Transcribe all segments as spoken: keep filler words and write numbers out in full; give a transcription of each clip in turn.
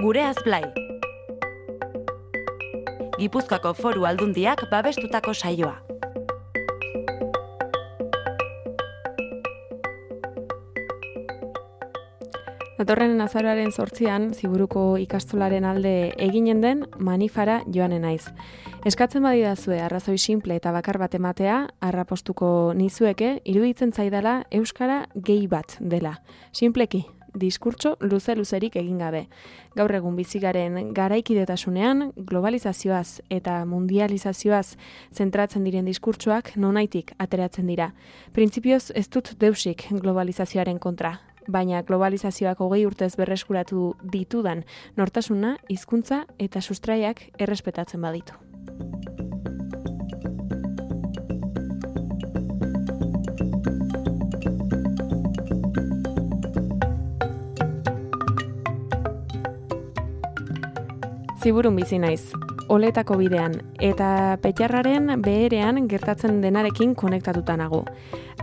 Gureaz Blai. Gipuzkoako Foru Aldundiak babestutako saioa. Datorren azaroaren zortzian, Ziburuko ikastolaren alde eginen den manifara joanen naiz. Eskatzen badidazue arrazoi simple eta bakar bat ematea, arrapostuko nizueke, iruditzen zaidala euskara gehi bat dela. Simpleki, diskurtso luze-luzerik egin gabe. Gaur egun bizigaren garaikidetasunean, globalizazioaz eta mundializazioaz zentratzen diren diskurtsoak nonaitik ateratzen dira. Printzipioz ez dut deusik globalizazioaren kontra. Baina globalizazioak hogei urtez berreskuratu ditudan nortasuna, hizkuntza eta sustraiak errespetatzen baditu. Ziburun bizi naiz, oletako bidean, eta Petxarraren beherean gertatzen denarekin konektatuta nago.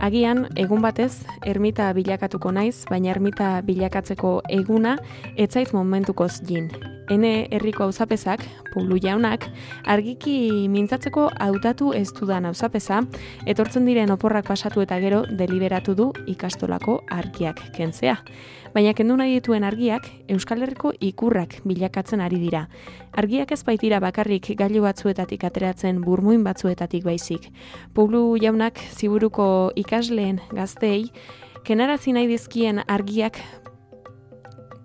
Agian, egun batez, ermita bilakatuko naiz, baina ermita bilakatzeko eguna etzaiz momentukoz jin. Hene herriko auzapezak, Pulu jaunak, argiki mintzatzeko hautatu ez dudan auzapeza, etortzen diren oporrak pasatu eta gero deliberatu du ikastolako argiak kentzea. Baina kendu nahi dituen argiak, Euskal Herriko ikurrak bilakatzen ari dira. Argiak ez baitira bakarrik gailu batzuetatik ateratzen burmuin batzuetatik baizik. Pulu jaunak Ziburuko ikasleen gazteei, kenarazi nahi dizkien argiak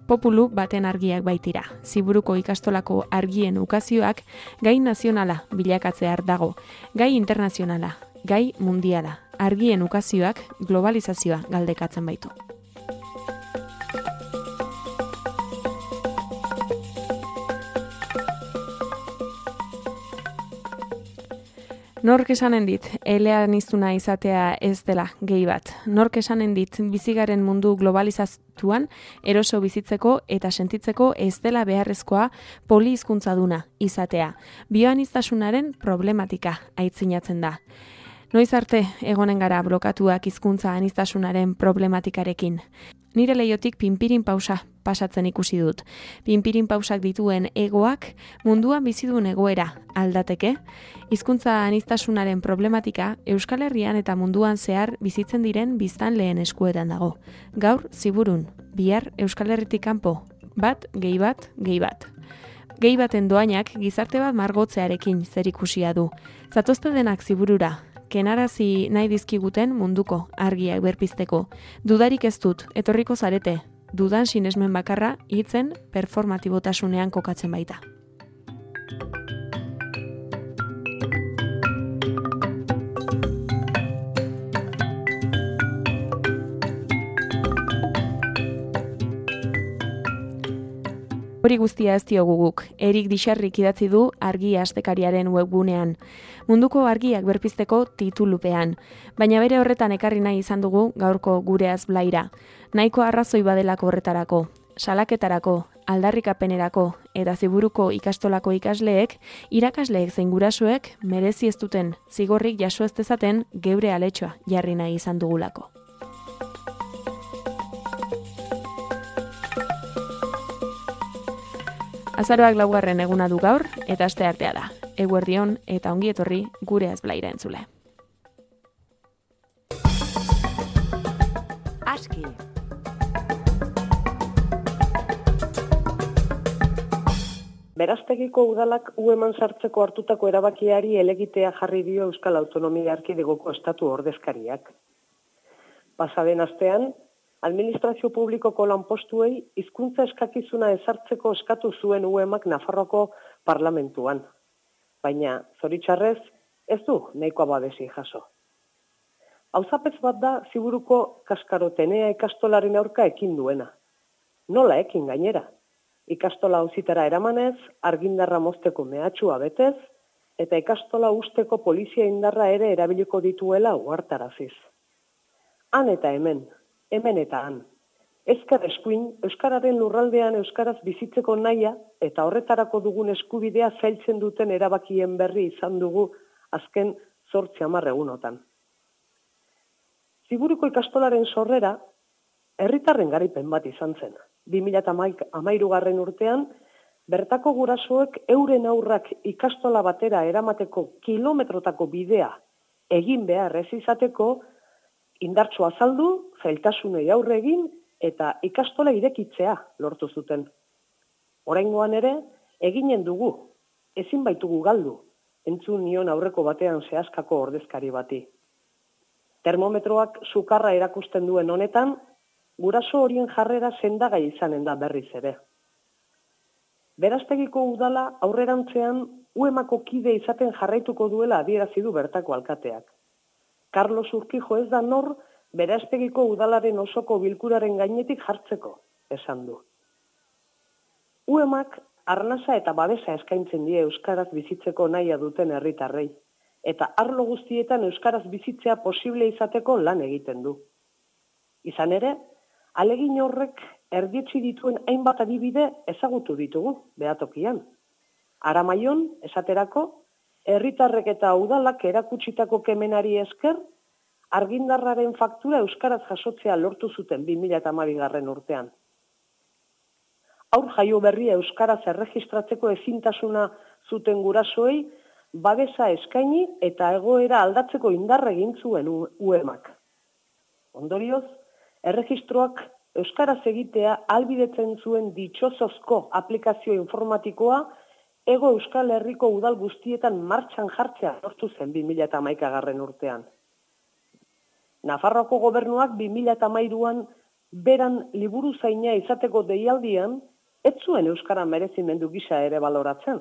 populu baten argiak baitira. Ziburuko ikastolako argien ukazioak gai nazionala bilakatzear dago, gai internazionala, gai mundiala. Argien ukazioak globalizazioa galdekatzen baitu. Nork esanen dit, eleaniztuna izatea ez dela gehi bat. Nork esanen dit, bizigaren mundu globalizatuan eroso bizitzeko eta sentitzeko ez dela beharrezkoa polihizkuntzaduna izatea. Bioaniztasunaren problematika aitzinatzen da. Noiz arte egonen gara blokatuak hizkuntza aniztasunaren problematikarekin. Nire leiotik pinpirin pausa pasatzen ikusi dut. Pinpirin pausak dituen egoak munduan bizidun egoera aldateke. Hizkuntza aniztasunaren problematika Euskal Herrian eta munduan zehar bizitzen diren biztanleen eskuetan dago. Gaur Ziburun, bihar Euskal Herritik kanpo, bat, gehi bat, gehi bat. Gehi baten doainak gizarte bat margotzearekin zerikusia du. Zatozte denak Ziburura, kenarazi nahi dizkiguten munduko argiak berpizteko. Dudarik ez dut, etorriko zarete, dudan sinesmen bakarra hitzen performatibotasunean kokatzen baita. Hori guztia ez diogu guk, Erik Dixarrik idatzi du argi astekariaren webgunean. Munduko argiak berpizteko titulupean, baina bere horretan ekarri nahi izan dugu gaurko Gureaz Blaira. Nahiko arrazoi badelako horretarako, salaketarako, aldarrikapenerako eta Ziburuko ikastolako ikasleek, irakasleek zein gurasoek merezi ez duten zigorrik jaso ez dezaten geure aletxoa jarri nahi izan dugulako. Azaroak laugarren eguna du gaur, eta asteartea da. Eguerdion eta ongi etorri Gureaz Blaira entzule. Aski. Beraztegiko udalak U eman sartzeko hartutako erabakiari elegitea jarri dio Euskal Autonomia Erkidegoko estatu ordezkariak. Pasaden astean, administrazio publikoko lanpostuei hizkuntza eskakizuna ezartzeko eskatu zuen U emak Nafarroko parlamentuan. Baina, zoritxarrez, ez du nahikoa babesi jaso. Auzapez bat da Ziburuko Kaskarotenea ikastolaren aurka ekin duena. Nola ekin gainera? Ikastola auzitara eramanez, argindarra mozteko mehatxua betez, eta ikastola usteko polizia indarra ere erabiliko dituela uhartaraziz. Han eta hemen, hemen eta han. Ezker eskuin, Euskararen lurraldean Euskaraz bizitzeko naia eta horretarako dugun eskubidea zailtzen duten erabakien berri izan dugu azken zortzi hamar egunotan. Ziburuko ikastolaren sorrera, herritarren garaipen bat izan zen. bi mila hamairugarren urtean, bertako gurasoek euren aurrak ikastola batera eramateko kilometrotako bidea egin behar ez izateko, indartsu azaldu, zailtasunei aurre egin eta ikastola irekitzea lortu zuten. Oraingoan ere, eginen dugu, ezin baitugu galdu, entzun nion aurreko batean zehazkako ordezkari bati. Termometroak sukarra erakusten duen honetan, guraso horien jarrera sendagai izanen da berriz ere. Beraztegiko udala aurrerantzean uemako kide izaten jarraituko duela adierazi du bertako alkateak. Carlos Urquijo ez da nor Beraztegiko udalaren osoko bilkuraren gainetik jartzeko, esan du. Uemak arnasa eta babesa eskaintzen die euskaraz bizitzeko nahia duten herritarrei, eta arlo guztietan euskaraz bizitzea posible izateko lan egiten du. Izan ere, alegin horrek erdietsi dituen hainbat adibide ezagutu ditugu, behatokian. Aramaion, esaterako, herritarrek eta udalak erakutsitako kemenari esker, argindarraren faktura euskaraz jasotzea lortu zuten bi mila hamabigarren urtean. Haur jaio berria euskaraz erregistratzeko ezintasuna zuten gurasoei, babesa eskaini eta egoera aldatzeko indarra egin zuen uemak. Ondorioz, erregistroak euskaraz egitea ahalbidetzen zuen ditxosozko aplikazio informatikoa Ego Euskal Herriko udal guztietan martxan jartzea lortu zen bi mila hamaikagarren urtean. Nafarroako gobernuak bi mila hamairuan beran liburu zaina izateko deialdian ez zuen euskara merezimendu gisa ere baloratzen.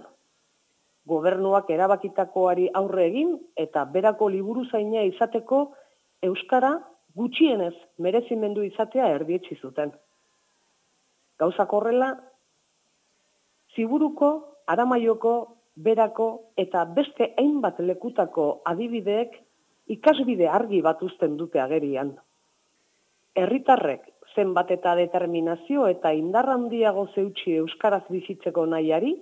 Gobernuak erabakitakoari aurre egin eta berako liburu zaina izateko euskara gutxienez merezimendu izatea erdietsi zuten. Gauzak horrela, Ziburuko, Aramaioko, Berako eta beste hainbat lekutako adibideek ikasbide argi bat uzten dute agerian. Herritarrek zenbat eta determinazio eta indar handiago zeutsi euskaraz bizitzeko nahiari,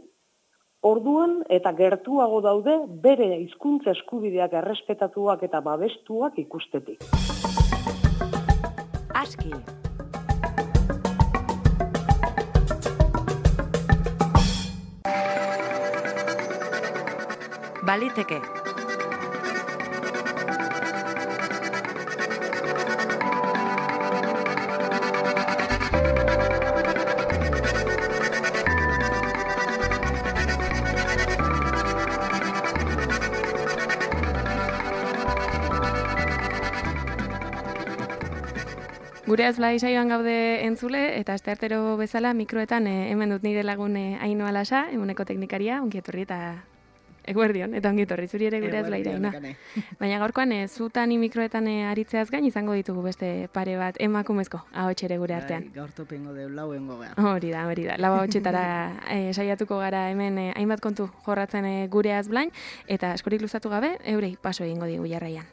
orduan eta gertuago daude bere hizkuntza eskubideak errespetatuak eta babestuak ikustetik. Aski. Baliteke. Gure azblai saioan gaude entzule, eta asteartero bezala mikroetan eh, hemen dut nire lagun eh, Ainhoa Lasa, emuneko teknikaria, ongi etorri eta eguerdion, eta ongi etorri zuri ere gure azblaira. Baina gaurkoan, eh, zutan mikroetan eh, aritzeaz gain izango ditugu beste pare bat emakumezko ahots ere gure artean. Gaur topengo deu lauengo gara. Hori da, hori da. Lau ahotsetara eh, saiatuko gara hemen eh, hainbat kontu jorratzen eh, gure azblain, eta askorik luzatu gabe, eurei paso egingo digu jarraian.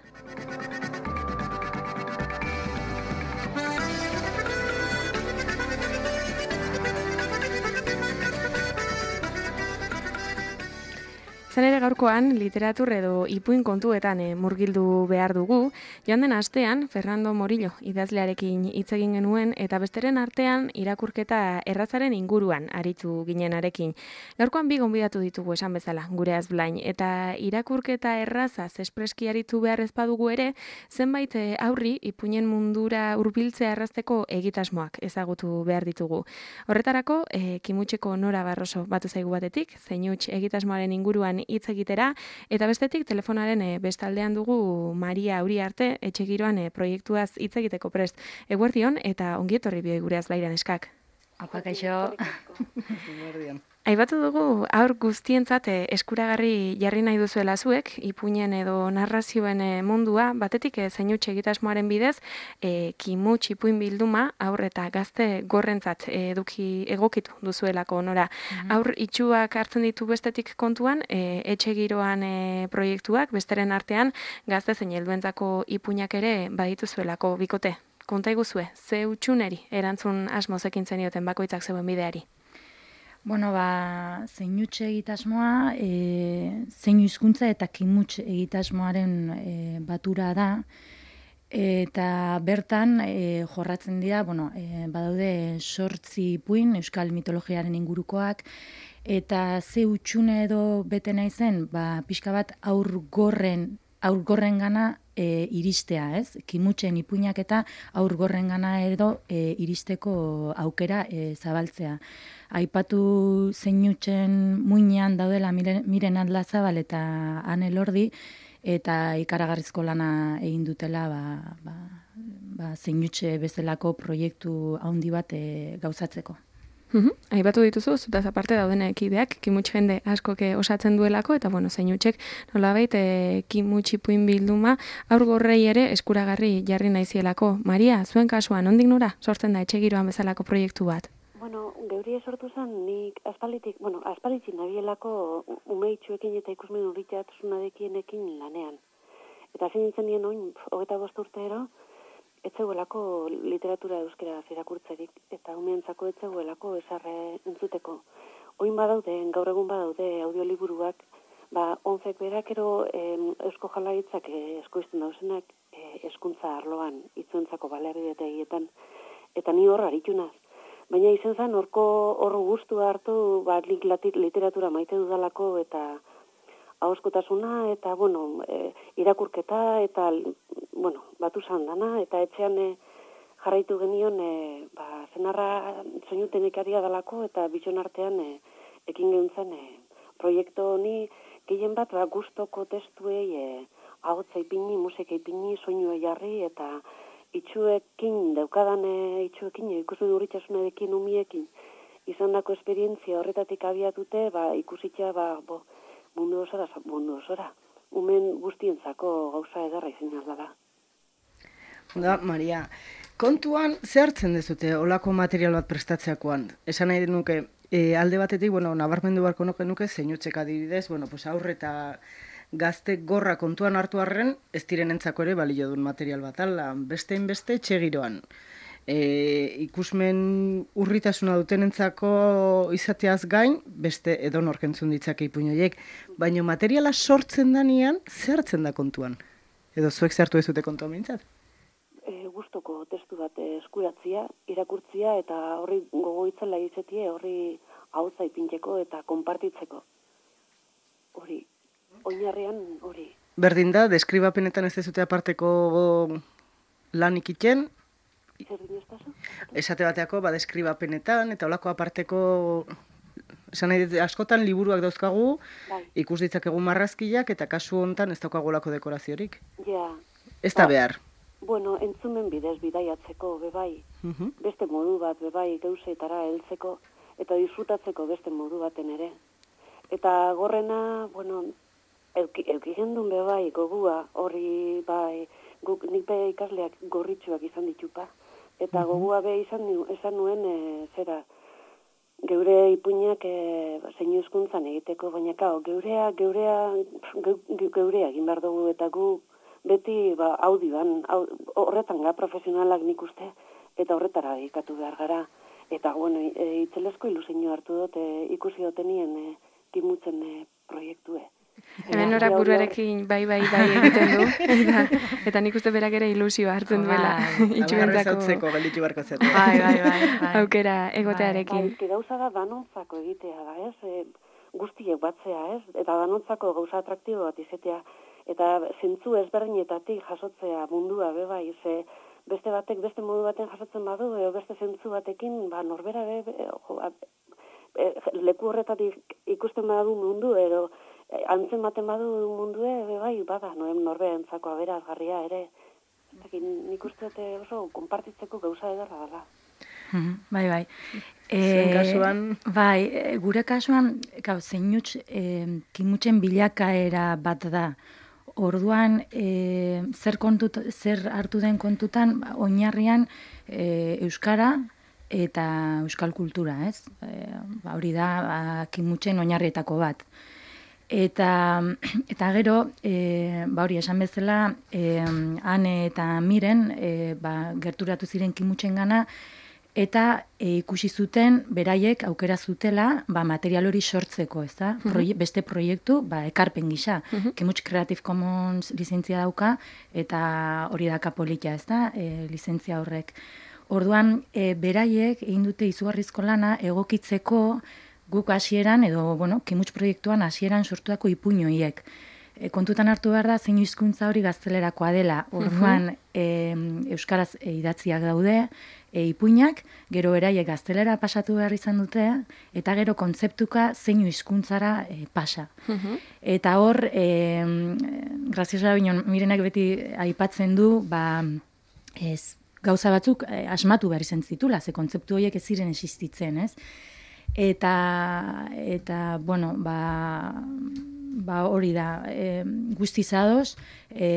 Zan ere gaurkoan, literatur edo ipuin kontuetan e, murgildu behar dugu, joan den astean, Fernando Morillo idazlearekin hitz egin genuen, eta besteren artean irakurketa errazaren inguruan aritu ginenarekin. Gaurkoan bi gonbidatu ditugu esan bezala, gure azblain, eta irakurketa errazaz espreski aritu behar ezpadugu ere, zenbait e, aurri ipuinen mundura hurbiltzea errazteko egitasmoak ezagutu behar ditugu. Horretarako, e, Kimutxeko Nora Barroso batu zaigu batetik, zeinuts egitasmoaren inguruan hitz egitera, eta bestetik telefonaren e, bestaldean dugu Maria Uriarte etxegiroan e, proiektuaz hitz egiteko prest. Eguerdion eta ongi etorri bioi gure azblairan eskak. Apa, kaixo. Aibatu dugu aur guztientzat e, eskuragarri jarri nahi duzuela zuek, ipuinen edo narrazioen e, mundua, batetik e, zeinuts egitasmoaren bidez, e, Kimuts ipuin bilduma aur eta gazte gorrentzat e, eduki egokitu duzuelako Nora. Mm-hmm. Aur itxuak hartzen ditu bestetik kontuan, e, etxe giroan e, proiektuak, besteren artean gazte zein helduentzako ipuinak ere badituzuelako bikote. Konta iguzue, ze utxuneri erantzun asmoz ekin zenioten bakoitzak zeuen bideari? Bueno, ba, zeinuts egitasmoa, e, zeinu hizkuntza eta kimuts egitasmoaren e, batura da, eta bertan e, jorratzen dira, bueno, e, badaude sortzi ipuin, euskal mitologiaren ingurukoak, eta ze utxune edo bete nahi zen, ba, pixka bat aurgorren, aurgorren gana e, iristea, ez? Kimutxen ipuinak eta aurgorren gana edo e, iristeko aukera e, zabaltzea. Aipatu zeinutxen muinean daudela Miren, Miren Adlazabal eta Ane Lordi, eta ikaragarrizko lana egin dutela ba, ba, ba, zeinutxe bezalako proiektu handi bat e, gauzatzeko. Uhum. Aipatu dituzu, zutaz aparte dauden ekideak, kimutx jende askoke osatzen duelako, eta bueno, zeinutxek nolabait e, kimutx ipuin bilduma aurgorrei ere eskuragarri jarri naizielako. Maria, zuen kasuan, ondik nora sortzen da etxegiroan bezalako proiektu bat? Bueno, geuri sortu zen, nik aspalitik, bueno, aspalitik nabielako umeitxuekin eta ikusmen urritxatasunarekienekin lanean. Eta zein nintzen nien oin, hogeita bost urteero, etzegoelako literatura euskera irakurtzerik, eta umeentzako etzegoelako esarre entzuteko. Oin badaude, gaur egun badaude audioliburuak, ba, onzek berakero eh, Eusko Jaurlaritzak eh, eskoizten dauzenak eh, eskuntza arloan, itzuentzako baliabidetegietan, eta ni hor aritu naz. Baina izen zen, horko horro guztua hartu, ba, literatura maite dudalako, eta ahoskotasuna, eta, bueno, e, irakurketa, eta, bueno, batu dana, eta etxean e, jarraitu genion, e, ba, zenarra soinutenikaria dalako, eta bitxon artean e, ekin geuntzen e, proiektu honi, gehien bat, ba, gustoko testuei, e, ahotza ipini, musika ipini, soinua jarri, eta itxuekin, daukadan e, itxuekin, e, ikusten urritxasunarekin, umiekin, izan dako esperientzia horretatik abiatute, ba, ikusitza, ba, bo, mundu osora, mundu osora. Umen guztientzako gauza edarra izin da. Da, Maria, kontuan ze hartzen dezute olako material bat prestatzeakoan? Esan nahi denuke, e, alde batetik, bueno, nabarmendu barko nuke nuke, zeinutzek adibidez, bueno, pues aurre eta gazte gorra kontuan hartu arren, ez direnentzako ere balio duen material bat, ala, bestein beste txegiroan. E, ikusmen urritasuna dutenentzako izateaz gain, beste edonor entzun ditzake ipuin horiek, baina materiala sortzen danean, zer hartzen da kontuan? Edo zuek zertu ez dute kontuan mintzat? E, gustoko testu bat eskuratzia, irakurtzia, eta horri gogoitzela izetie, horri ahotza ipintzeko eta konpartitzeko. Hori, oinarrean hori. Berdin da, deskribapenetan ez dezute aparteko lan ikiten, esate bateako, ba, deskribapenetan, eta olako aparteko, esan nahi, askotan liburuak dauzkagu, bai. Ikus ditzakegu marrazkiak, eta kasu hontan ez daukagu olako dekoraziorik. Ja. Ez da behar. Bueno, entzumen bidez bidaiatzeko, bebai, uh-huh. Beste modu bat, bebai, gauzetara heltzeko, eta disfrutatzeko beste modu baten ere. Eta gorrena, bueno, eukigen duen bebai, gogua, horri, bai, guk, nik be ikasleak gorritxuak izan ditupa. Eta gogua be izan, izan nuen, e, zera, geure ipuinak e, zeinu hizkuntzan egiteko, baina kao, geurea, geurea, ge, geurea egin behar dugu, eta gu beti ba, audioan, horretan ga profesionalak nik uste, eta horretara ikatu behar gara. Eta, bueno, e, itzelesko ilusiño hartu dut, e, ikusi dotenien e, kimutzen e, proiektue. Hemen norak buruarekin bai, bai, bai egiten du, eta, eta nik uste berak ere ilusioa hartzen duela. Itxuentzako galitu barko zetu. Bai, bai, bai, bai. Aukera egotearekin. Bai, gauza da danontzako egitea da, ez? E, guztiek batzea, ez? Eta danontzako gauza atraktibo bat izetea. Eta zentzu ezberdinetatik jasotzea mundua, be bai, ze beste batek, beste modu baten jasotzen badu, edo beste zentzu batekin, ba, norbera, be, be, jo, e, leku horretatik ikusten badu mundu, edo antzen baten badu mundue, be bai, bada, norberentzako aberazgarria ere. Nik uste oso konpartitzeko gauza edarra dela. Bai, bai. Zuen kasuan? Bai, gure kasuan, gau, zeinuts, e, kimutzen bilakaera bat da. Orduan, e, zer, kontut, zer hartu den kontutan, oinarrian e, euskara eta euskal kultura, ez? E, ba, hori da, ba, kimutzen oinarrietako bat. Eta, eta gero, e, ba hori esan bezala, e, Ane eta Miren e, ba, gerturatu ziren kimutzen gana, eta e, ikusi zuten beraiek aukera zutela ba, material hori sortzeko, ez da? Proie, beste proiektu, ba, ekarpen gisa. Uh-huh. Kimuts Creative Commons lizentzia dauka, eta hori da kapolita, ez da? E, lizentzia horrek. Orduan, e, beraiek egin dute izugarrizko lana egokitzeko guk hasieran, edo, bueno, Kimuts proiektuan hasieran sortuako ipuin horiek. E, kontutan hartu behar da, zein hizkuntza hori gaztelerakoa dela. Orduan, e, euskaraz e, idatziak daude, e, ipuinak, gero beraiek gaztelera pasatu behar izan dute, eta gero kontzeptuka zein hizkuntzara e, pasa. Eta hor, e, graziosa binon, Mirenak beti aipatzen du, ba, ez, gauza batzuk e, asmatu behar izan zitula, ze kontzeptu horiek ez ziren existitzen, ez? Eta, eta bueno, ba, ba hori da, e, guztizadoz, e,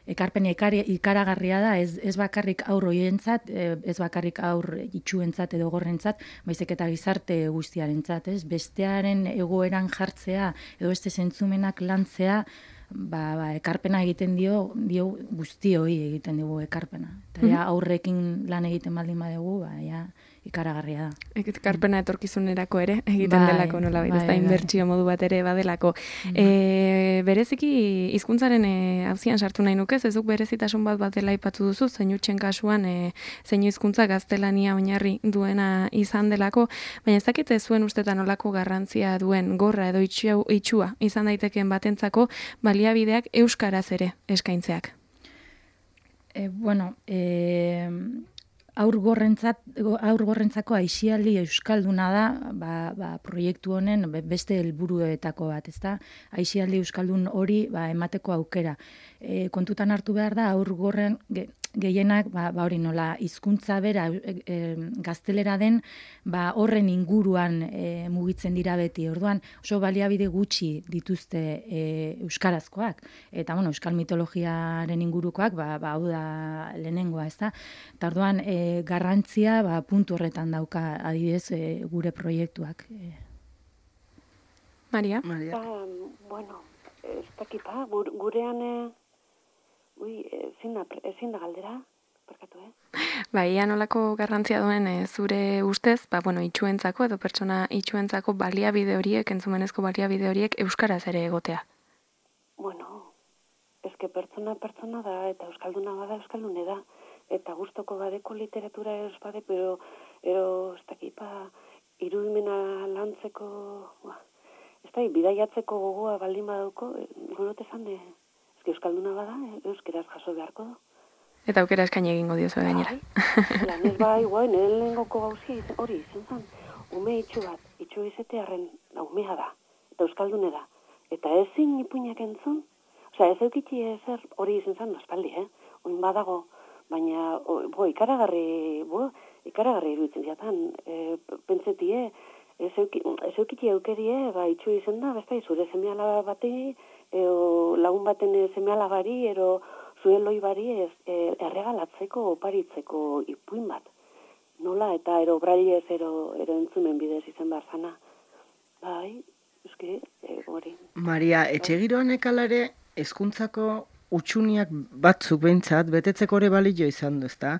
ekarpena ikaragarria da, ez, ez bakarrik aur hoientzat, ez bakarrik aur itxuentzat edo gorrentzat, baizik eta gizarte guztiarentzat, ez? Bestearen egoeran jartzea edo beste zentzumenak lantzea, ba, ba, ekarpena egiten dio, dio guztioi egiten dugu ekarpena. Eta ja, aurrekin lan egiten baldin badugu, ba, ja, ikaragarria da. Ekarpena etorkizunerako ere, egiten bai, delako, nola bai, ez da, inbertsio modu bat ere badelako. Mm. E, bereziki, hizkuntzaren e, hauzian sartu nahi nukez, ezuk berezitasun bat bat dela ipatu duzu, zein utxen kasuan, e, zein hizkuntza gaztelania oinarri duena izan delako, baina ez dakit ez zuen ustetan olako garrantzia duen gorra edo itxua, itxua izan daitekeen batentzako baliabideak euskaraz ere eskaintzeak. E, bueno, e... Aurgorrentzat, aurgorrentzako aisialdi euskalduna da, ba, ba, proiektu honen beste helburuetako bat, ezta? Aisialdi euskaldun hori ba, emateko aukera. E, kontutan hartu behar da, aurgorren ge, gehienak, ba, ba hori nola, hizkuntza bera e, e, gaztelera den, ba, horren inguruan e, mugitzen dira beti. Orduan, oso baliabide gutxi dituzte e, euskarazkoak. Eta, bueno, euskal mitologiaren ingurukoak, ba, ba hau da lehenengoa, ezta? Eta orduan, e, garrantzia ba, puntu horretan dauka adibidez e, gure proiektuak. E. Maria? Maria. Ba, bueno, ez dakipa, gurean e, ui, ezin da, ezin da galdera, perkatu, eh? Ba, ia nolako garrantzia duen e, zure ustez, ba, bueno, itxuentzako edo pertsona itxuentzako baliabide horiek, entzumenezko baliabide horiek euskaraz ere egotea? Bueno, eske pertsona pertsona da, eta euskalduna bada euskaldune da. Eta gustoko badeko literatura ez bade, pero ero ez dakipa irudimena lantzeko, ba, ez da, bidaiatzeko gogoa baldin badauko, gurote zan de, ezke euskalduna bada, euskeraz jaso beharko du. Eta aukera eskaini egingo diozu gainera. Lan ez bai, guai, nire lehengoko gauzi hori izen zan, ume itxu bat, itxu izetearen umea da, eta euskaldune da. Eta ezin ipuinak entzun, osea, ez eukitzi ezer hori izen zan, aspaldi, eh? Oin badago, baina, bo, ikaragarri, bo, ikaragarri iruditzen ziatan, e, pentsetie, ez eukitzi eukerie, ba, itxu izen da, besta, zure semeala bati, e, lagun baten semeala bari, ero zure loi bari, ez, e, erregalatzeko, oparitzeko ipuin bat. Nola, eta ero brailez, ero, ero entzumen bidez izen behar zana. Bai, euski, e, hori. Maria, etxegiroan ekalare, hezkuntzako utxuniak batzuk behintzat, betetzeko ere balio izan du, ezta?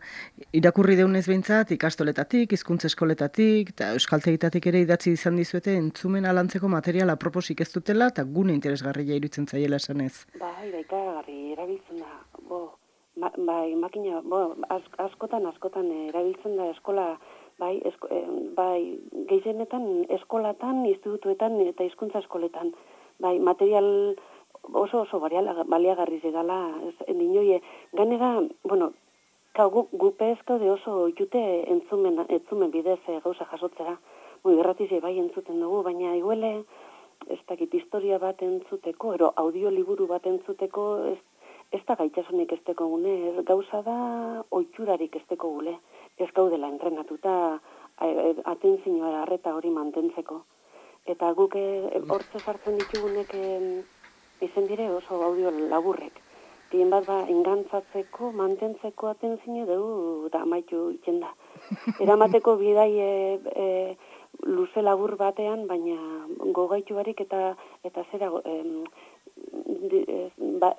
Irakurri deunez behintzat, ikastoletatik, hizkuntza eskoletatik, eta euskaltegitatik ere idatzi izan dizuete entzumen alantzeko materiala aproposik ez dutela, eta gune interesgarria iruditzen zaiela esanez. Bai, da ikaragarri erabiltzen da, bo, ma, bai, makina, bo, az, askotan, askotan erabiltzen da eskola, bai, esko, eh, bai, gehienetan eskolatan, institutuetan eta hizkuntza eskoletan, bai, material oso oso baliagarri zegala, ninoie, ganera, bueno, gu, gupezko de oso jute entzumen, entzumen bidez e, gauza jasotzera, Bui, erratize bai entzuten dugu, baina iguele, ez dakit historia bat entzuteko, ero audioliburu bat entzuteko, ez, ez da gaitasunik esteko gune, ez gauza da oitxurarik esteko gule, ez gaudela entrenatuta atentzioa arreta hori mantentzeko. Eta guk hortze sartzen ditugunek izen dire oso audio laburrek. Tien bat ba, ingantzatzeko, mantentzeko atentzine dugu da amaitu itzen da. Eramateko bidai e, e, luze labur batean, baina gogaitu barik eta, eta zera e, de, ba,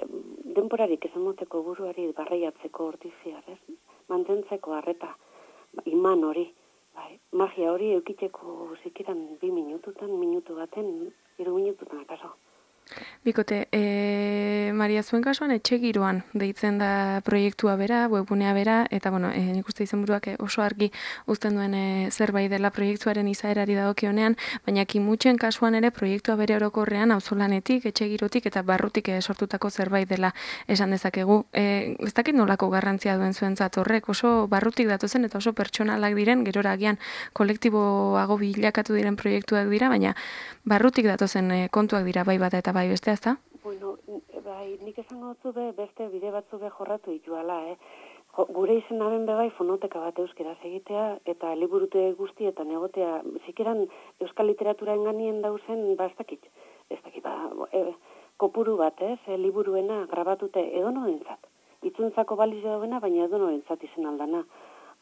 denporarik ezamoteko buruari barreiatzeko hortiziar, ez? Mantentzeko arreta, iman hori. Bai, magia hori eukiteko zikiran bi minututan, minutu baten, hiru minututan akaso. Bikote, e, Maria, zuen kasuan etxe giroan deitzen da proiektua bera, webgunea bera, eta bueno, e, nik uste izenburuak oso argi uzten duen e, zerbait dela proiektuaren izaerari dagokionean, baina kimutxen kasuan ere proiektua bere orokorrean auzolanetik, etxe girotik eta barrutik e, sortutako zerbait dela esan dezakegu. E, ez dakit nolako garrantzia duen zuentzat horrek, oso barrutik datozen eta oso pertsonalak diren, gerora agian kolektiboago bilakatu diren proiektuak dira, baina barrutik datozen e, kontuak dira bai bata eta bai bestea, ezta? Bueno, bai, nik esango dutzu be, beste bide batzu be jorratu dituala, eh? Jo, gure izenaren be bai fonoteka bat euskeraz egitea, eta liburute guztietan egotea, zikeran euskal literatura enganien dauzen, ba, ez dakit, ez dakit, ba, e, kopuru bat, ez, e, liburuena grabatute edonorentzat. Itzuntzako baliz dauena, baina edonorentzat izen aldana.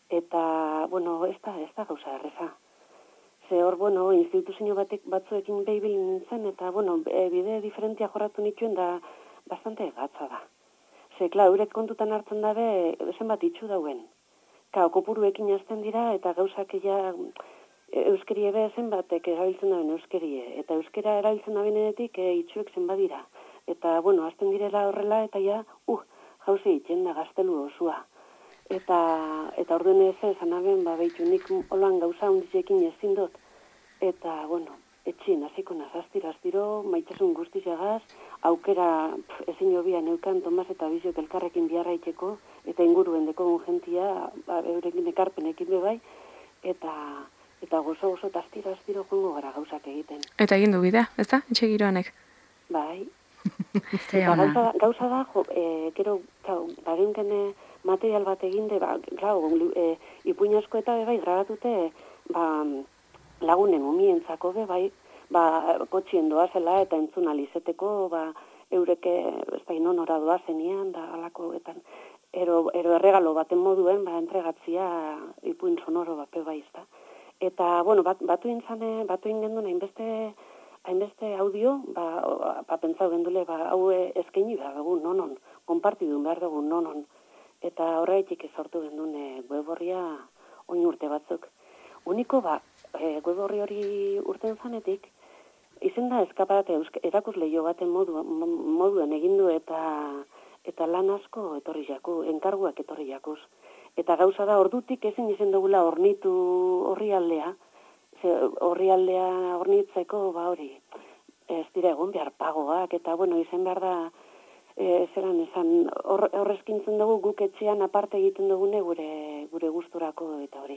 Eta, bueno, ez da, ez da gauza erreza. Ze hor, bueno, instituzio batek batzuekin behibil nintzen, eta, bueno, bide diferentia jorratu nituen da bastante gatza da. Ze, klar, eurek kontutan hartzen dabe, zenbat itxu dauen. Ka, kopuruekin hasten dira, eta gauzak ja euskerie be zenbatek erabiltzen daben euskerie. Eta euskera erabiltzen dabenetik e, itxuek zenbat dira. Eta, bueno, hasten direla horrela, eta ja, uh, jauze itxen da gaztelu osua. Eta, eta orduen ez esan aben, ba, behitu nik holan gauza hunditzekin ezin dut. Eta, bueno, etxien hasiko nazaztiro, aztiro, maitasun guztizagaz, aukera pf, ezin jobia neukan Tomas eta Bizok elkarrekin biharra itxeko, eta inguruen deko gentia, ba, eurekin ekarpenekin bebai, eta, eta gozo gozo taztiro, aztiro jongo gara gauzak egiten. Eta egin du bidea, ez da? Etxe giroanek. Bai. Eta gauza, gauza da, jo, e, gero, kau, bagenken material bat eginde, ba, klau, e, ipuin asko eta bebai grabatute, ba, lagunen umientzako bebai, ba, kotxien doazela eta entzun alizeteko, ba, eureke, ez da, inonora doazenian, da, alakoetan, ero, ero erregalo baten moduen, ba, entregatzia ipuin sonoro bat bebai, ez da. Eta, bueno, bat, batu intzane, batu ingendun, hainbeste, hainbeste audio, ba, ba pentsau gendule, ba, hau eskaini behar dugu, nonon, konpartidu behar dugu, nonon. Eta horreitik sortu gendun e, web horria oin urte batzuk. Uniko, ba, e, web horri hori urten zanetik, izen da eskaparate erakus lehio baten modu, moduen egindu eta eta lan asko etorri jaku, enkarguak etorri jakuz. Eta gauza da, ordutik ezin izen dugula ornitu horri aldea, horri aldea ornitzeko, ba hori, ez dira egun behar pagoak, eta bueno, izen behar da, E, zeran esan, horrezkintzen hor dugu guk etxean aparte egiten dugune gure gure gusturako eta hori.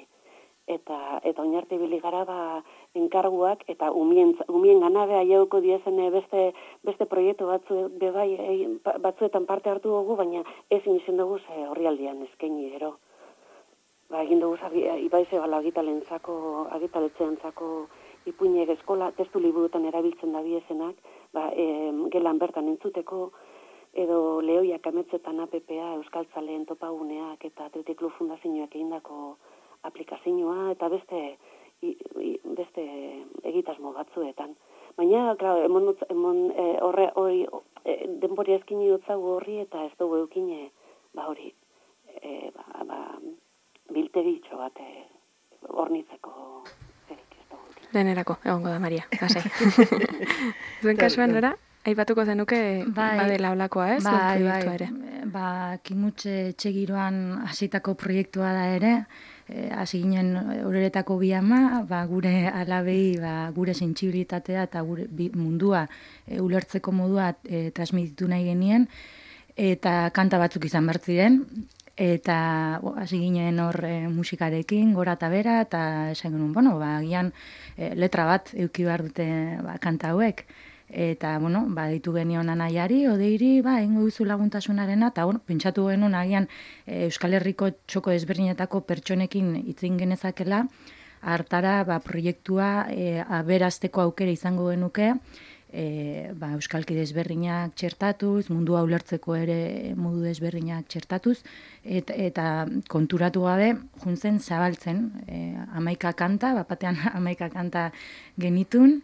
Eta eta oinarte ibili gara ba enkarguak eta umien umien ganabe aiauko diezen beste beste proiektu batzu bebai e, batzuetan parte hartu dugu, baina ezin izen dugu ze horrialdean eskaini gero. Ba egin dugu ibaize bala agitalentzako agitaletxeentzako ipuinek eskola testu liburutan erabiltzen da biezenak, ba e, gelan bertan entzuteko edo Lehoiak ametzetan A P P A, Euskaltzaleen topaguneak eta Athletic Club Fundazioak egindako aplikazioa eta beste i, i, beste egitasmo batzuetan. Baina, klar, emon, emon e, horre hori e, denbori ezkini dutzagu horri eta ez dugu eukine, ba hori, e, ba, ba, biltegitxo bat e, ornitzeko zerik ez dugu. Denerako, egongo da, Maria, lasai. Zuen kasuan, nora? Aipatuko zenuke bai, badela olakoa, ez? Bai, bai, ere. Ba, kimutxe etxegiroan hasitako proiektua da ere, hasi ginen horeretako bi ama, ba, gure alabei, ba, gure sentsibilitatea eta gure mundua e, ulertzeko modua e, transmititu nahi genien, eta kanta batzuk izan behar ziren, eta hasi ginen hor e, musikarekin, gora eta bera, eta esan genuen, bueno, ba, gian e, letra bat euki behar dute ba, kanta hauek, eta, bueno, ba, ditu genion anaiari, odeiri, ba, ingo duzu laguntasunarena, eta, bueno, pentsatu genuen agian e, Euskal Herriko txoko ezberdinetako pertsonekin itzin genezakela, hartara, ba, proiektua e, aberazteko aukera izango genuke, e, ba, Euskalkide ezberdinak txertatuz, mundua ulertzeko ere modu ezberdinak txertatuz, et, eta konturatu gabe, juntzen zabaltzen, e, amaika kanta, bapatean amaika kanta genitun,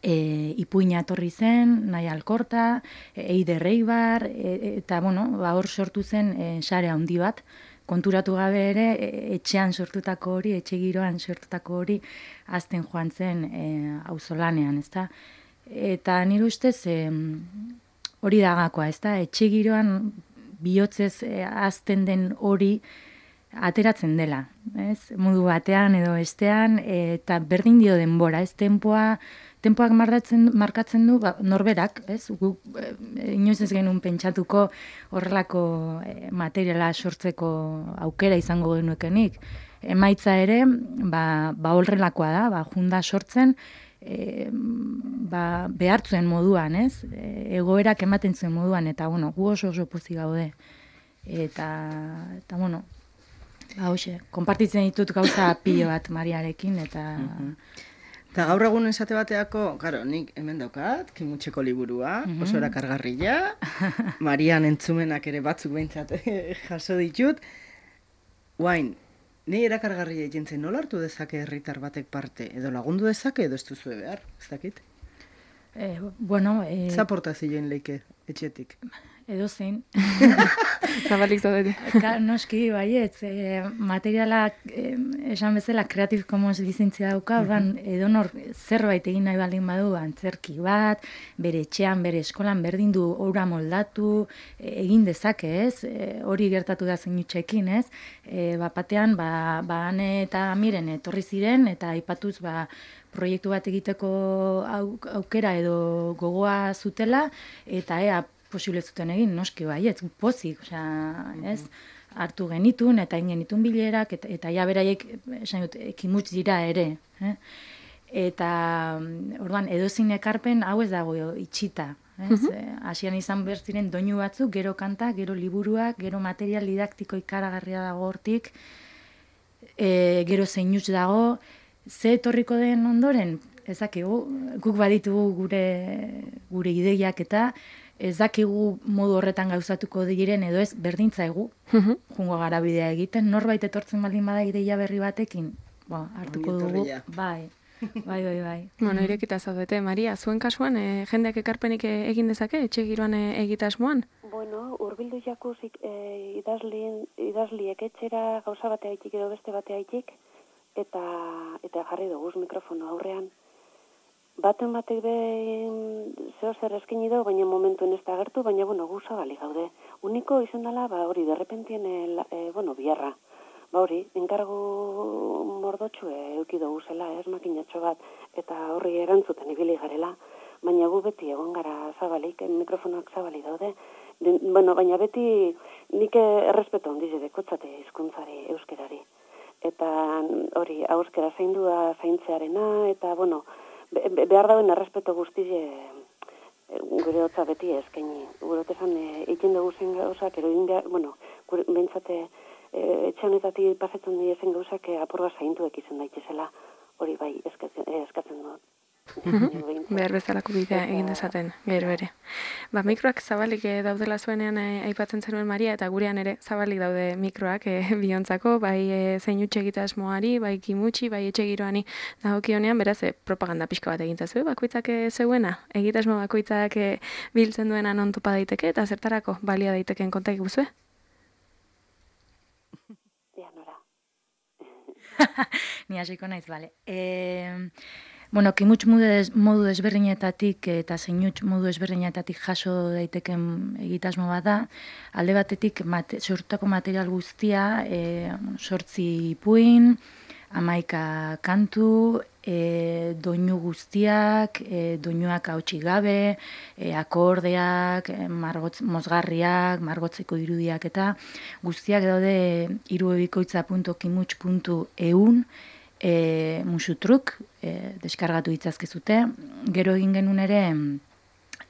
E, ipuina etorri zen, nahi alkorta, Eider Eibar, e, eta, bueno, ba, hor sortu zen e, sare handi bat, konturatu gabe ere, e, etxean sortutako hori, etxe giroan sortutako hori, azten joan zen e, auzolanean, ezta? Eta nire ustez hori e, dagakoa, ez da? Etxe giroan bihotzez e, azten den hori ateratzen dela, ez? Modu batean edo bestean, eta berdin dio denbora, ez? Tempoa, tempoak markatzen, markatzen du ba, norberak, ez? Guk e, inoiz ez genuen pentsatuko horrelako e, materiala sortzeko aukera izango genuekenik. Emaitza ere, ba, ba horrelakoa da, ba, junda sortzen, e, ba, behartzuen moduan, ez? E, egoerak ematen zuen moduan, eta, bueno, gu oso oso pozik gaude. Eta, eta, bueno, ba, hoxe, konpartitzen ditut gauza pilo bat Mariarekin, eta... Eta gaur egun esate bateako, claro, nik hemen daukat, Kimutxeko liburua, oso erakargarria, Marian entzumenak ere batzuk behintzat jaso ditut, guain, ni erakargarria jentzen nola hartu dezake herritar batek parte, edo lagundu dezake, edo ez duzue behar, ez dakit? Eh, bueno... Eh... Zaportazioen leike, etxetik. Edo zein. Zabalik zaudete. Noski, baietz, e, materialak, e, esan bezala, Creative Commons lizentzia dauka, uh -huh. edo nor zerbait egin nahi baldin badu, antzerki bat, bere etxean, bere eskolan, berdin du ora moldatu, e, egin dezake, ez? E, hori gertatu da Zeinutxekin, ez? E, bapatean, ba, ba, ane eta miren etorri ziren, eta aipatuz, ba, proiektu bat egiteko aukera edo gogoa zutela, eta ea, posible zuten egin, noski baietz, pozik, osea, ez, hartu genitun, eta egin genitun bilerak, eta, eta ja beraiek, esan dut, ekimutz dira ere, eh? Eta, orduan, edozein ekarpen, hau ez dago itxita, ez, hasian izan behar ziren doinu batzuk, gero kanta, gero liburuak, gero material didaktiko ikaragarria dago hortik, e, gero Zeinutx dago, ze etorriko den ondoren, ezakigu, guk baditugu gure, gure ideiak eta, ez dakigu modu horretan gauzatuko diren edo ez berdintzaigu, uh-huh. jungo gara bidea egiten, norbait etortzen baldin bada ideia berri batekin, bo, hartuko dugu, bai, bai, bai, bai. Bueno, irekita zaudete, Maria, zuen kasuan, e, jendeak ekarpenik egin dezake, etxe giroan e, egitasmoan? Bueno, urbildu jakuzik e, idazlien, idazliek etxera gauza batea haitik edo beste batea haitik, eta, eta jarri dugu mikrofono aurrean. Baten batek behin zeo zer eskini dugu, baina momentuen ez da agertu, baina, bueno, gu zabali gaude. Uniko izan dela, ba, hori, derrepentien, e, bueno, biarra. Ba, hori, enkargu mordotxu euki dugu zela, ez, makinatxo bat, eta horri erantzuten ibili garela, baina gu beti egon gara zabalik, mikrofonoak zabali daude. Den, bueno, baina beti nik errespeto handiz dekotzate hizkuntzari, euskerari. Eta hori, euskera zaindua zaintzearena, eta, bueno, Be, behar dauen errespeto guztize gure hotza beti eskaini. Gure hotezan egin dugu zen gauzak, ero egin behar, bueno, gure bentsate e, etxanetatik pasetzen dira zen gauzak apurba zaintuek izan daitezela, hori bai eskatzen, eskatzen dut. Behar bezalako bidea egin dezaten, gero ere. Ba, mikroak zabalik daudela zuenean e, aipatzen zenuen Maria, eta gurean ere zabalik daude mikroak e, biontzako, bai e, Zeinutx egitasmoari, bai Kimutxi, bai etxe giroani dagokionean, beraz, e, propaganda pixka bat egin zazu, bakoitzak e, zeuena, egitasmo bakoitzak e, biltzen duena non topa daiteke, eta zertarako balia daiteken kontak guzue? Ja, nora. Ni hasiko naiz, bale. Eh... Bueno, Kimutx modu desberdinetatik eta Zeinutx modu desberdinetatik jaso daiteken egitasmo bat da. Alde batetik mate, sortutako material guztia, e, sortzi ipuin, hamaika kantu, e, doinu guztiak, e, doinuak hautsik gabe, e, akordeak, e, margotz, mozgarriak, margotzeko irudiak eta guztiak daude irubebikoitza puntu kimutx puntu eun, E, musutruk, e, deskargatu ditzazkezute. Gero egin genuen ere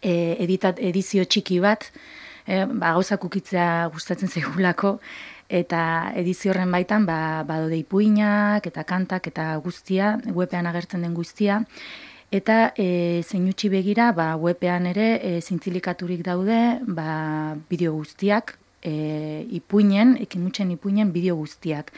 e, editat, edizio txiki bat, e, ba, gauzak ukitzea gustatzen zaigulako, eta edizio horren baitan ba, badode ipuinak eta kantak eta guztia, webean agertzen den guztia, eta e, Zeinutxi begira ba, webean ere e, zintzilikaturik daude ba, bideo guztiak, e, ipuinen, Kimutxen ipuinen bideo guztiak.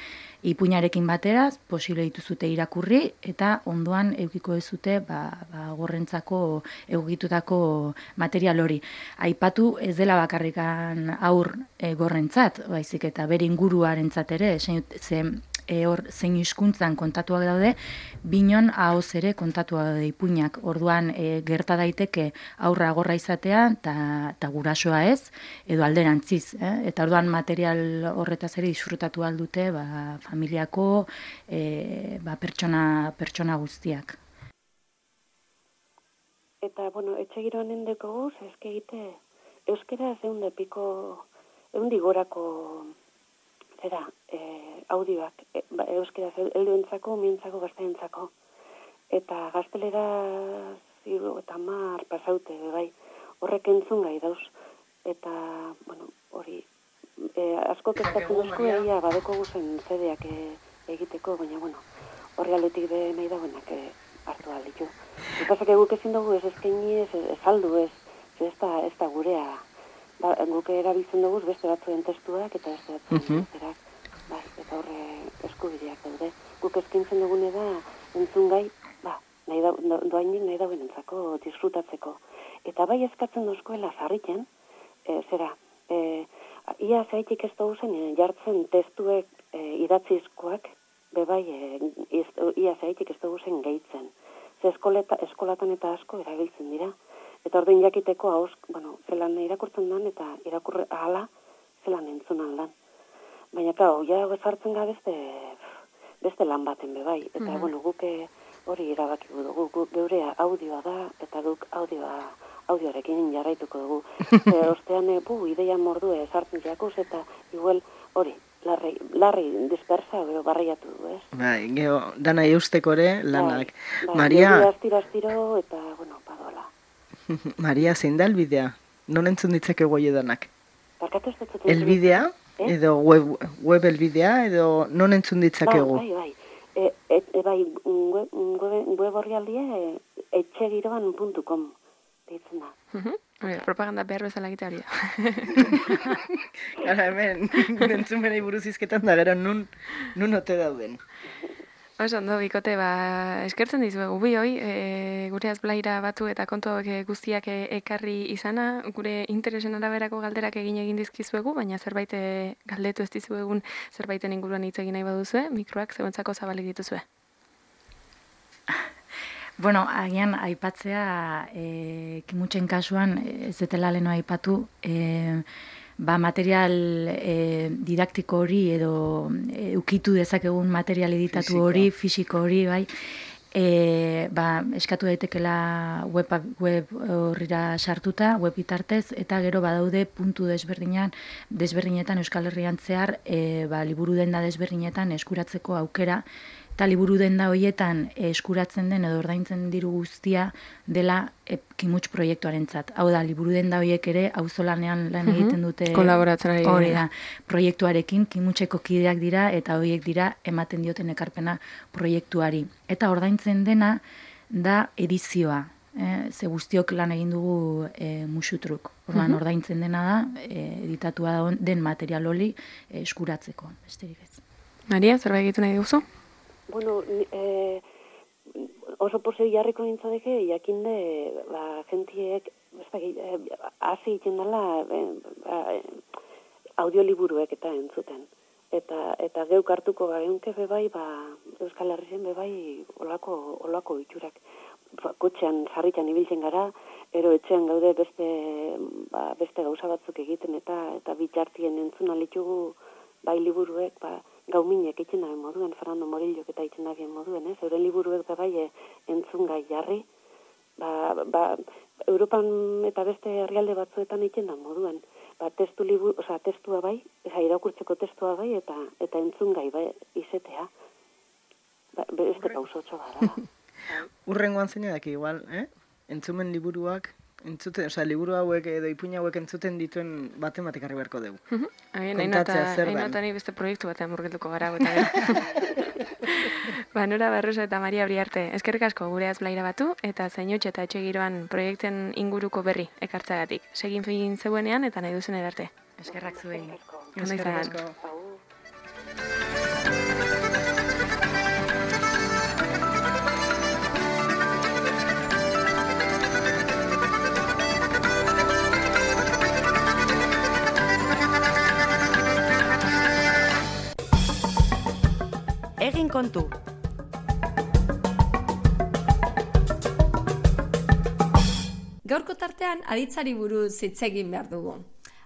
Ipuinarekin batera, posible dituzute irakurri, eta ondoan eukiko ezute ba, ba, gorrentzako egitutako material hori. Aipatu ez dela bakarrikan aur e, gorrentzat, baizik eta bere inguruarentzat ere, ze e, hor zein hizkuntzan kontatuak daude, binon ahoz ere kontatuak daude ipuinak. Orduan e, gerta daiteke aurra agorra izatea eta gurasoa ez, edo alderantziz. Eh? Eta orduan material horretaz ere disfrutatu aldute ba, familiako e, ba, pertsona, pertsona guztiak. Eta, bueno, etxe giroan endeko guz, ezke egite, euskera zeunde piko, eundi gorako, zera, e, audioak, e, ba, euskera helduentzako, mientzako, gazteentzako. Eta gaztelera ziru eta mar pasaute, bai, horrek entzun gai dauz. Eta, bueno, hori, e, asko kezkatzen duzko egia badeko guzen zedeak e, egiteko, baina, bueno, horri aletik de nahi dagoenak e, hartu alditu. Epazak eguk ezin dugu ez ezkeini, ez, ez aldu, ez, ez da, ez da gurea. Ba, guk erabiltzen dugu beste batzuen testuak eta beste batzuen uh -huh. testuak. Bai, eta horre eskubideak daude. Guk eskintzen dugune da entzun gai, ba, nahi da, do, doainik nahi dauen entzako disfrutatzeko. Eta bai eskatzen duzkoela zarriken, e, zera, e, ia zaitik ez dugu zen jartzen testuek e, idatzizkoak, bebai, e, ia zaitik ez dugu zen gehitzen. Ze eskoleta, eskolatan eta asko erabiltzen dira. Eta orduan jakiteko hauz, bueno, zelan irakurtzen dan eta irakurre ahala zelan entzun aldan. Baina, kau, ja bezartzen ga beste, beste lan baten bebai. Eta, mm-hmm. bueno, guk hori irabaki dugu, guk geurea audioa da, eta guk audioa, audioarekin jarraituko dugu. e, ostean, e, bu, ideia mordu ezartzen jakuz, eta igual hori, larri, larri dispersa edo barriatu du, ez? Bai, geho, dana eusteko ere lanak. Bai, Maria... Bai, astiro, astiro, eta, bueno, padola. Maria, zein da elbidea? Non entzun ditzake goi edanak? Barkatu ez dut. Elbidea? Eh? Edo web, web elbidea? Edo non entzun ditzakegu? Bai, bai, bai. E, e, e, bai, web, web, web horri aldia e, etxegiroan puntu com deitzen da. Uh-huh. Oye, propaganda behar bezala egitea hori da. Gara, hemen, entzun benei buruz izketan da, gero nun, nun ote dauden. Oso, ondo, bikote, ba, eskertzen dizuegu bi hoi, e, gure azblaira batu eta kontu hauek guztiak e, ekarri izana, gure interesen araberako galderak egin egin dizkizuegu, baina zerbait e, galdetu ez dizuegun zerbaiten inguruan hitz egin nahi baduzue, mikroak zeuentzako zabalik dituzue. Bueno, agian aipatzea, e, kimutxen kasuan, ez detela leno aipatu, e, ba, material e, didaktiko hori edo e, ukitu dezakegun material editatu Fisika. hori, fisiko hori, bai, e, ba, eskatu daitekela web, web horrira sartuta, web bitartez, eta gero badaude puntu desberdinan, desberdinetan Euskal Herrian zehar, e, ba, liburu denda desberdinetan eskuratzeko aukera, eta liburu denda horietan eskuratzen den edo ordaintzen diru guztia dela e, Kimuts proiektuarentzat. Hau da, liburu denda horiek ere auzolanean lan egiten dute. Kolaboratzen ari hori da. Proiektuarekin Kimutseko kideak dira eta horiek dira ematen dioten ekarpena proiektuari. Eta ordaintzen dena da edizioa. Eh, ze guztiok lan egin dugu e, musutruk. Orduan uh-huh. ordaintzen dena da e, editatua den material hori e, eskuratzeko. Besterik ez. Maria, zerbait egitu nahi duzu? Bueno, eh, oso posei jarriko nintzadeke, jakinde, ba, jentiek, hasi eh, egiten dela eh, ba, audioliburuek eta entzuten. Eta eta geuk hartuko gareunke bebai, ba, Euskal Herrien bebai olako, olako itxurak. Ba, kotxean, sarritan ibiltzen gara, ero etxean gaude beste, ba, beste gauza batzuk egiten eta eta bitxartien entzun alitugu bai liburuek, ba, gauminek itzen daben moduen, Fernando Morillok eta itzen daben moduen, ez? Euren liburuek da bai entzun gai jarri, ba, ba, Europan eta beste herrialde batzuetan itzen da moduen, ba, testu liburu, oza, testua bai, eza, irakurtzeko testua bai, eta eta entzun gai bai, izetea, ba, beste pausotxo gara. Urrengoan zein edaki igual, eh? Entzumen liburuak, entzuten, osea, liburu hauek edo ipuina hauek entzuten dituen baten batek harri beharko dugu. Uh-huh. Hain ni beste proiektu batean murgilduko gara. Ba, Nora Barroso eta Maria Briarte, eskerrik asko gure azblaira batu eta Zainutxe eta Etxegiroan proiekten inguruko berri ekartzagatik. Segin fin zeuenean eta nahi duzen erarte. Eskerrak zuei. Eskerrik asko. kontu. Gaurko tartean aditzari buruz hitz egin behar dugu.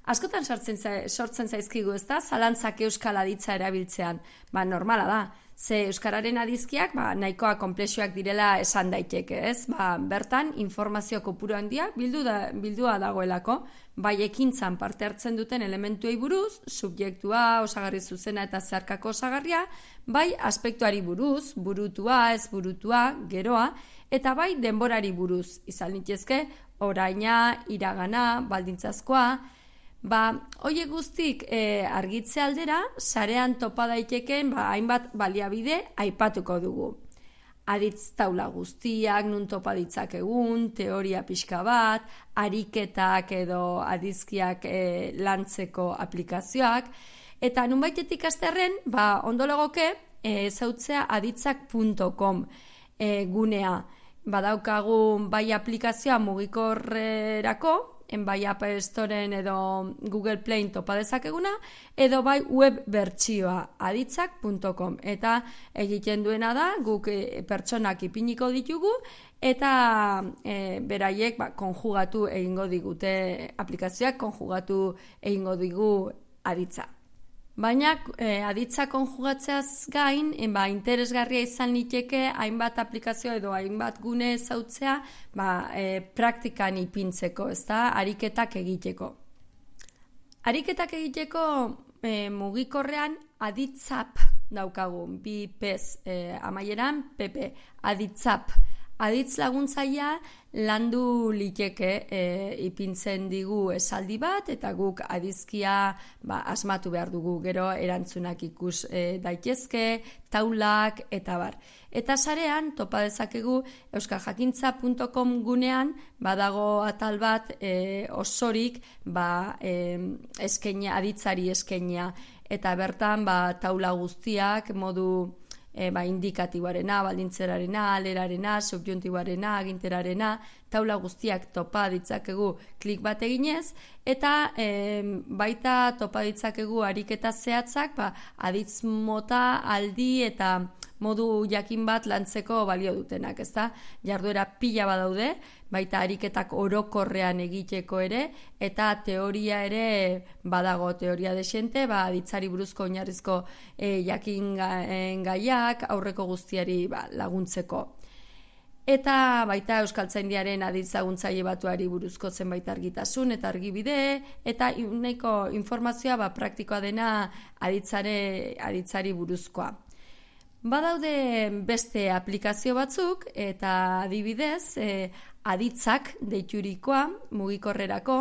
Askotan sortzen, sortzen zaizkigu, ez da, zalantzak euskal aditza erabiltzean. Ba, normala da. Ze euskararen adizkiak ba, nahikoa konplexuak direla esan daiteke, ez? Ba, bertan informazio kopuru handia bildu da, bildua dagoelako, bai ekintzan parte hartzen duten elementuei buruz, subjektua, osagarri zuzena eta zeharkako osagarria, bai aspektuari buruz, burutua, ez burutua, geroa, eta bai denborari buruz, izan litezke, oraina, iragana, baldintzazkoa. Ba, hoiek guztik e, argitze aldera, sarean topa daitekeen ba, hainbat baliabide aipatuko dugu. Aditz taula guztiak, nun topa ditzakegun, teoria pixka bat, ariketak edo adizkiak e, lantzeko aplikazioak, eta nunbaitetik asterren, ba, ondo legoke, e, zautzea aditzak puntu com e, gunea. Badaukagu bai aplikazioa mugikorrerako, en bai App Storen edo Google Playen topa dezakeguna, edo bai web bertsioa aditzak puntu com. Eta egiten duena da, guk e, pertsonak ipiniko ditugu, eta e, beraiek ba, konjugatu egingo digute aplikazioak, konjugatu egingo digu aditza. Baina e, aditza konjugatzeaz gain, en, ba, interesgarria izan liteke hainbat aplikazio edo hainbat gune zautzea ba, e, praktikan ipintzeko, ezta, ariketak egiteko. Ariketak egiteko e, mugikorrean aditzap daukagu, bi pez e, amaieran, pp, aditzap. Aditz laguntzaia landu liteke e, ipintzen digu esaldi bat, eta guk adizkia ba, asmatu behar dugu, gero erantzunak ikus e, daitezke, taulak, eta bar. Eta sarean, topa dezakegu euskajakintza puntu com gunean, badago atal bat e, osorik ba, e, eskenia, aditzari eskenia, eta bertan ba, taula guztiak modu E, ba, indikatiboarena, baldintzerarena, alerarena, subjuntiboarena, aginterarena, taula guztiak topa ditzakegu klik bat eginez, eta e, baita topa ditzakegu ariketa zehatzak, ba, aditz mota, aldi eta modu jakin bat lantzeko balio dutenak, ezta? Jarduera pila badaude, baita ariketak orokorrean egiteko ere, eta teoria ere badago, teoria desente, ba, aditzari buruzko oinarrizko e, jakin gaiak, aurreko guztiari ba, laguntzeko. Eta baita Euskaltzaindiaren aditz laguntzaile batuari buruzko zenbait argitasun eta argibide, eta nahiko informazioa ba, praktikoa dena aditzare, aditzari buruzkoa. Badaude beste aplikazio batzuk, eta adibidez, e, aditzak deiturikoa, mugikorrerako,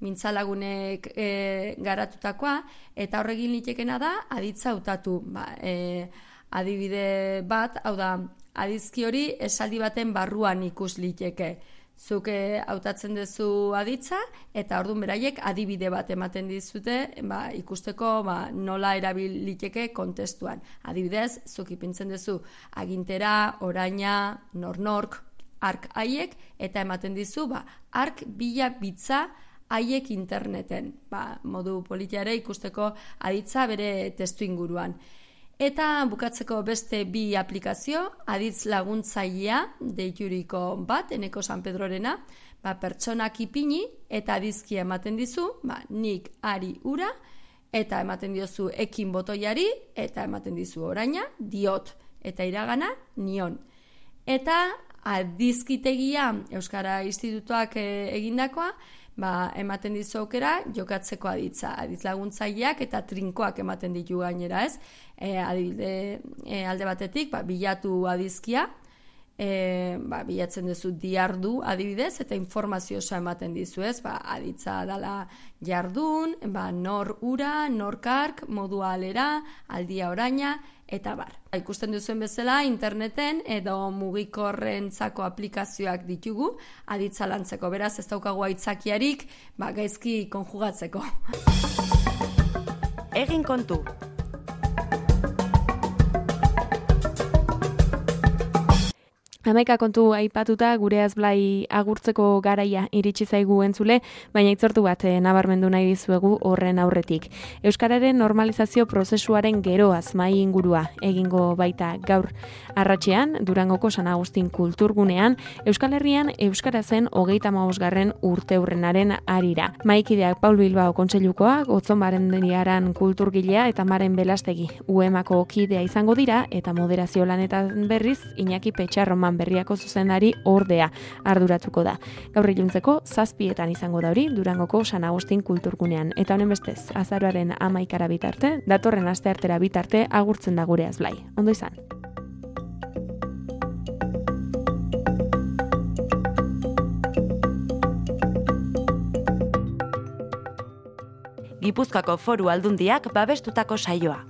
mintzalagunek e, garatutakoa, eta horregin litekena da, aditza hautatu. Ba, e, adibide bat, hau da, adizki hori esaldi baten barruan ikus liteke. Zuk hautatzen duzu aditza, eta orduan beraiek adibide bat ematen dizute ba, ikusteko ba, nola erabil liteke kontestuan. Adibidez, zuk ipintzen duzu agintera, oraina, nornork, ark haiek, eta ematen dizu ba, ark bila bitza haiek interneten. Ba, modu politiare ikusteko aditza bere testu inguruan. Eta bukatzeko beste bi aplikazio, aditz laguntzailea deituriko bat, Eneko San Pedrorena, ba, pertsonak ipini eta adizkia ematen dizu, ba, nik ari ura, eta ematen diozu ekin botoiari, eta ematen dizu oraina, diot, eta iragana, nion. Eta adizkitegia Euskara Institutuak egindakoa, ba, ematen dizu aukera jokatzeko aditza. Aditz laguntzaileak eta trinkoak ematen ditu gainera, ez? E, adibide, e, alde batetik, ba, bilatu adizkia, e, ba, bilatzen duzu diardu adibidez, eta informazio oso ematen dizu, ez? Ba, aditza dala jardun, ba, nor ura, nor kark, modua alera, aldia oraina, eta bar. Ikusten duzuen bezala, interneten edo mugikorrentzako aplikazioak ditugu, aditza lantzeko. Beraz, ez daukagu aitzakiarik, ba, gaizki konjugatzeko. Egin kontu. Hamaika kontu aipatuta gure azblai agurtzeko garaia iritsi zaigu entzule, baina itzortu bat eh, nabarmendu nahi dizuegu horren aurretik. Euskararen normalizazio prozesuaren geroaz mai ingurua egingo baita gaur arratsean Durangoko San Agustin kulturgunean Euskal Herrian euskarazen hogeita hamabosgarren urteurrenaren harira. Mahaikideak Paul Bilbao kontseilukoa, Gotzonbarrendiaran kulturgilea eta Maren Belastegi U E M-ako kidea izango dira eta moderazio lanetan berriz Iñaki Petxarroman Berriako zuzendari ordea arduratuko da. Gaur iluntzeko zazpietan izango da hori Durangoko San Agustin kulturgunean. Eta honen bestez, azaroaren hamaikara bitarte, datorren asteartera bitarte agurtzen da gure azblai. Ondo izan. Gipuzkoako Foru Aldundiak babestutako saioa.